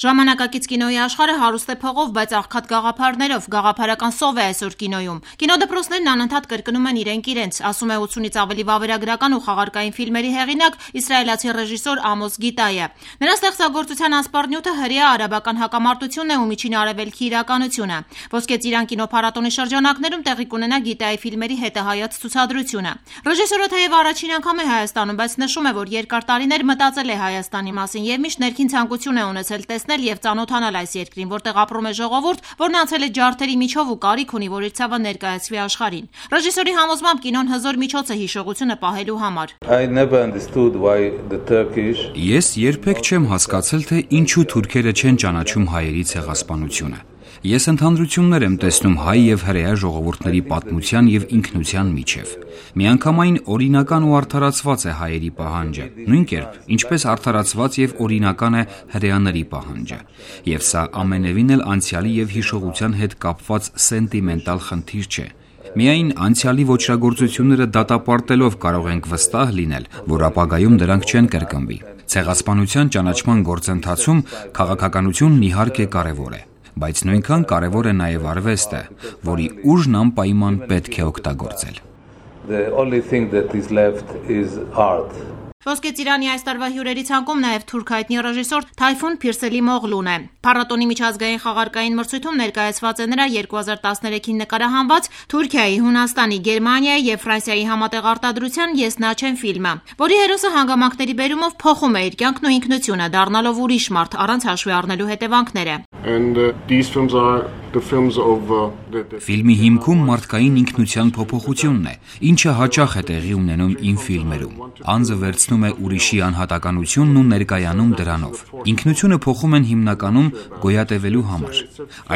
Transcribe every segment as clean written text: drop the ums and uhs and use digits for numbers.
Ժամանակակից կինոյի աշխարհը հարուստ է փողով, բայց աղքատ գաղափարներով, գաղափարական սով է այսօր կինոյում։ Կինոդպրոցներն անընդհատ կրկնում են իրենք, ասում է 80-ից ավելի վավերագրական ու խաղարկային ֆիլմերի հեղինակ իսրայելացի ռեժիսոր Ամոս Գիտայը։ Նրա ստեղծագործության ասպարնյութը հրեա արաբական հակամարտությունն է ու Միջին Արևելքի իրականությունը։ Ոսկե ծիրան կինոփառատոնի շրջանակներում տեղի կունենա Գիտայի ֆիլմերի հետահայաց ցուցադրությունը։ Ռեժիսորը թեև առաջին անգամ է Հայաստանում, բայց նշում է, որ երկար տարիներ մտածել է Հայաստանի մասին եւ միշտ ներքին ցանկություն է ունեցել տեսնել եւ ծանոթանալ այս երկրին, որտեղ ապրում է ժողովուրդ, որն անցել է ջարդերի միջով ու կարիք ունի, որ իր ցավը ներկայացվի աշխարհին։ Ռեժիսորի համոզմամբ կինոն հզոր միջոց է հիշողությունը պահելու համար։ Ես երբեք չեմ հասկացել, թե ինչու թուրքերը չեն ճանաչում հայերի ցեղասպանությունը։ Ես ընդհանրություններ եմ տեսնում հայ եւ հրեա ժողովուրդների պատմության եւ ինքնության միջև։ Միանգամայն օրինական ու արդարացված է հայերի պահանջը, նույն կերպ, ինչպես արդարացված եւ օրինական է հրեաների պահանջը։ Եվ սա ամենևին էլ անցյալի եւ հիշողության հետ կապված սենտիմենտալ խնդիր չէ։ Միայն անցյալի ոճրագործությունները դատապարտելով կարող ենք վստահ լինել, որ ապագայում դրանք չեն կրկնվի։ Ցեղասպանության ճանաչման գործընթացում քաղաքականությունն իհարկե կարևոր է, բայց նույնքան կարևոր է նաև արվեստը, որի ուժն անպայման պետք է օգտագործել։ Ոսկե ծիրանի այս տարվա հյուրերի ցանկում նաև թուրք հայտնի ռեժիսոր Թայֆուն Փիրսելիմօղլուն է։ Փառատոնի միջազգային խաղարկային մրցույթում ներկայացված է նրա 2013-ին նկարահանված Թուրքիայի, Հունաստանի, Գերմանիայի եւ Ֆրանսիայի համատեղ արտադրության «Ես նա չեմ» ֆիլմը, որի հերոսը հանգամանքների բերումով փոխում է իր կյանքն ու ինքնությունը, դառնալով ուրիշ մարդ, առանց հաշվի առնելու հետևանքները։ Ֆիլմի հիմքում մարդկային ինքնության փոփոխությունն է, ինչը հաճախ է տեղի ունենում իմ ֆիլմերում։ Անձը վերցնում է ուրիշի անհատականությունն ու ներկայանում դրանով։ Ինքնությունը փոխում են հիմնականում գոյատևելու համար։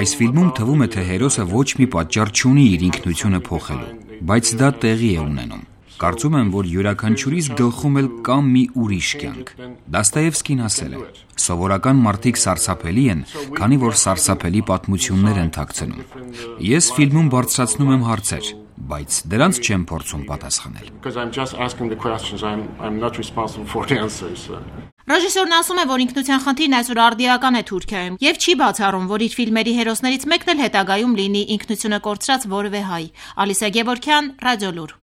Այս ֆիլմում թվում է, թե հերոսը ոչ մի պատճառ չունի իր ինքնությունը փոխելու, բայց դա տեղի է ունենում։ Կարծում եմ, որ յուրաքանչյուրիս գլխում էլ կա մի ուրիշ կյանք։ Դաստոևսկին ասել է. «Սովորական մարդիկ սարսափելի են, քանի որ սարսափելի պատմություններ են թաքցնում»։ Ես ֆիլմում բարձրացնում եմ հարցեր, բայց դրանց չեմ փորձում պատասխանել։ Ռեժիսորն ասում է, որ ինքնության խնդիրն այսօր արդիական է Թուրքիայում եւ չի բացառում, որ իր ֆիլմերի հերոսներից մեկն էլ հետագայում լինի ինքնությունը կորցրած որևէ հայ։ Ալիսա Գևորգյան, Ռադիոլուր։